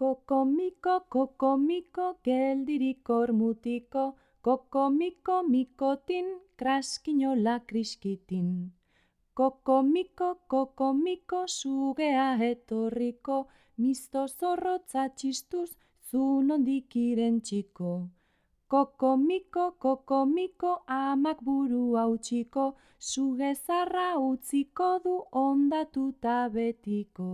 Kokomiko, geldirik ormutiko, kokomiko, mikotin, kraskinola kriskitin. Kokomiko, sugea etorriko, misto zorrotza txistuz, zu nondik irentsiko. Kokomiko, amak buru hautsiko, suge zarra utziko du ondatuta betiko.